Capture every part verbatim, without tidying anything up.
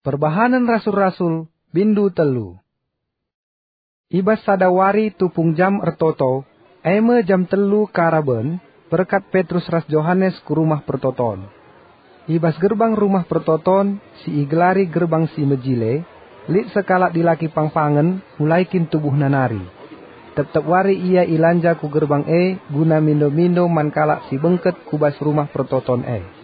Perbahanen Rasul-Rasul, bindu telu. I bas sada wari tupung jam ertoto, e me jam telu karaben, berkat Petrus ras Johanes ku Rumah Pertoton. I bas gerbang Rumah Pertoton, si igelari Gerbang Si Mejile, lit sekalak dilaki pangpangen, mulai kin tubuhna nari. Tep-tep wari ia ilanja ku gerbang e guna mindo-mindo man kalak si bengket ku bas Rumah Pertoton e.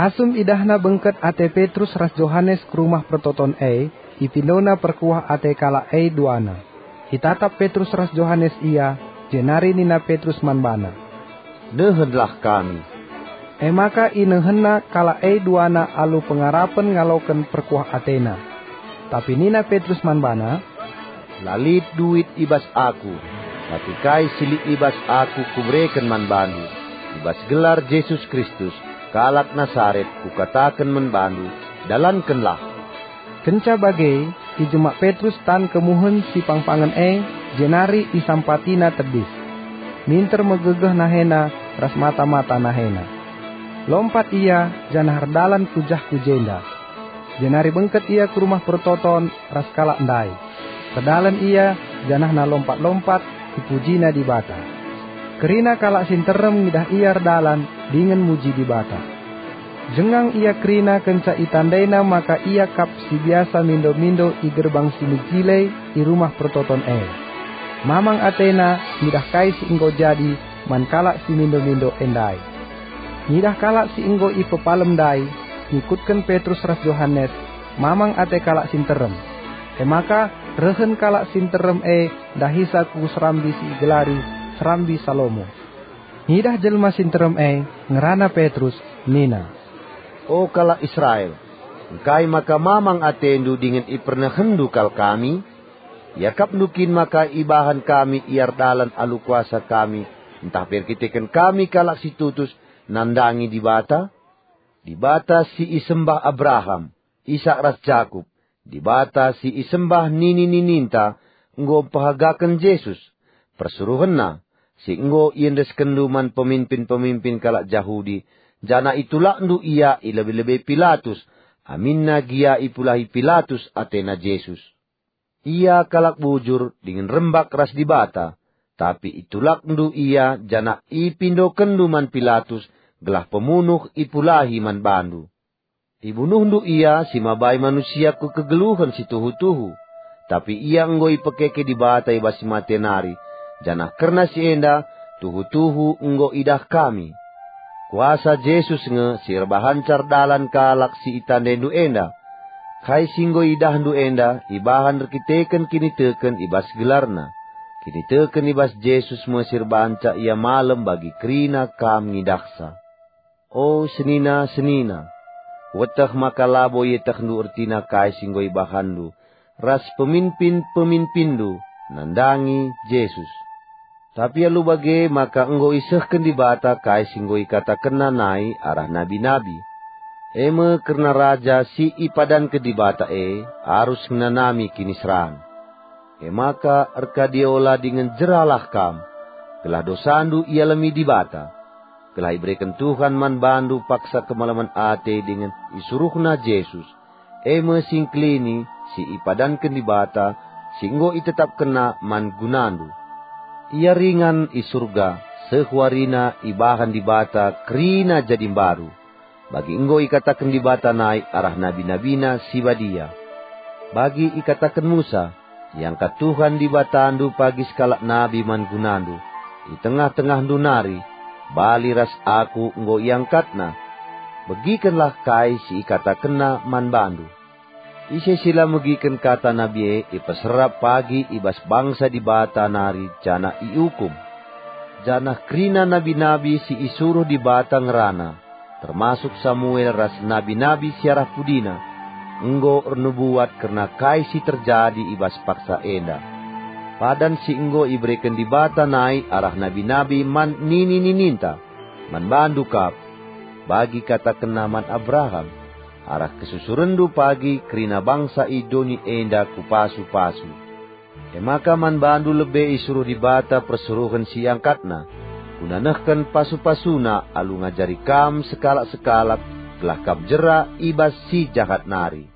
Asum idahna bengket ate Petrus ras Johanes ku Rumah Pertoton e, ipindona perkuah ate kalak e duana. Itatap Petrus ras Johanes ia, jenari nina Petrus man bana, "Nehenlah kami." E maka inehenna kalak e duana alu pengarapen ngaloken perkuah atena. Tapi nina Petrus man bana, "La lit duit i bas aku, tapi kai si lit i bas aku kubereken man bandu. I bas gelar Jesus Kristus, kalak Nasaret, kukataken man bandu, dalankenlah." Kenca bage, ijemak Petrus tan kemuhen si pangpangen e, jenari isampatina tedis. Minter megegeh nahena ras mata-mata nahena. Lompat ia, janah erdalan ku jah ku jenda. Jenari bengket ia ku Rumah Pertoton ras kalak ndai. Erdalan ia, janahna lompat-lompat, ipujina Dibata. Kerina kalak si nterem ngidah ia erdalan dingen muji Dibata. Jengang ia kerina kenca itandaina maka ia kap si biasa mindo-mindo i Gerbang Si Mejile i Rumah Pertoton e. Mamang atena ngidah kai si enggo jadi man kalak si mindo-mindo e ndai. Ngidah kalak si enggo ipepalem ndai, ngikutken Petrus ras Johanes, mamang ate kalak si nterem. E maka rehen kalak si nterem e ndahisa ku serambi si igelari Serambi Salomo. Ngidah jelma si nterem e, ngerana Petrus, nina, "O kalak Israel, engkai maka mamang atendu dingen ipernehenndu kal kami? Iakapndu kin maka ibahan kami ia erdalan alu kuasa kami, ntah pe erkiteken kami kalak si tutus nandangi Dibata? Dibata si isembah Abraham, Isak ras Jakup, Dibata si isembah nini-nininta enggo mpehagaken Jesus, persuruhenNa, si enggo iendeskenndu man peminpin-peminpin kalak Jahudi, janah itulakndu ia i lebe-lebe Pilatus, aminna gia ipulahi Pilatus atena Jesus. Ia kalak bujur dingen rembak ras Dibata, tapi itulakndu ia janah ipindokenndu man Pilatus gelah pemunuh ipulahi man bandu. Ibunuhndu ia si mabai manusia ku kegeluhen si tuhu-tuhu, tapi ia enggo ipekeke Dibata i bas si mate nari, janah kerna si enda tuhu-tuhu enggo idah kami. Kuasa Jesus nge si erbahanca erdalan kalak si itandaindu enda. Kai si enggo idahndu enda ibahan erkiteken kiniteken i bas gelarNa. Kiniteken i bas Jesus me si erbahanca ia malem bagi kerina kam ngidahsa. O senina-senina, kueteh maka labo ietehndu ertina kai si enggo ibahanndu ras peminpin-peminpinndu nandangi Jesus. Tapi alu bage maka enggo isehken Dibata kai si enggo ikatakenNa nai arah nabi-nabi, e me kerna Raja si ipadanken Dibata e arus ngenanami kiniseran. E maka erkadiola dingen jeralah kam, gelah dosandu ialemi Dibata, gelah ibereken Tuhan man bandu paksa kemalemen ate dingen isuruhNa Jesus, e me si engkelini si ipadanken Dibata, si enggo itetapkenNa man gunandu. Ia ringan i Surga, seh warina ibahan Dibata kerina jadi mbaru, bagi enggo ikataken Dibata nai arah nabi-nabiNa si badia. Bagi ikataken Musa, "Iangkat Tuhan Dibatandu pagi sekalak nabi man gunandu, i tengah-tengahndu nari, bali ras Aku enggo iangkatNa." Begikenlah kai si ikatakenNa man bandu. Ise si la megiken kata nabi e ipeserap pagi i bas bangsa Dibata nari janah iukum. Janah kerina nabi-nabi si isuruh Dibata ngerana, termasuk Samuel ras nabi-nabi si arah pudina, enggo ernubuat kerna kai si terjadi i bas paksa enda. Padan si enggo ibereken Dibata nai arah nabi-nabi man nini-nininta, man bandu kap, bagi katakenNa man Abraham, "Arah kesusurenndu pagi kerina bangsa i doni enda Kupasu-pasu." E maka man bandu lebe isuruh Dibata persuruhen si iangkatNa, guna nehken pasu-pasuNa alu ngajari kam sekalak-sekalak gelah kam jera i bas si jahat nari.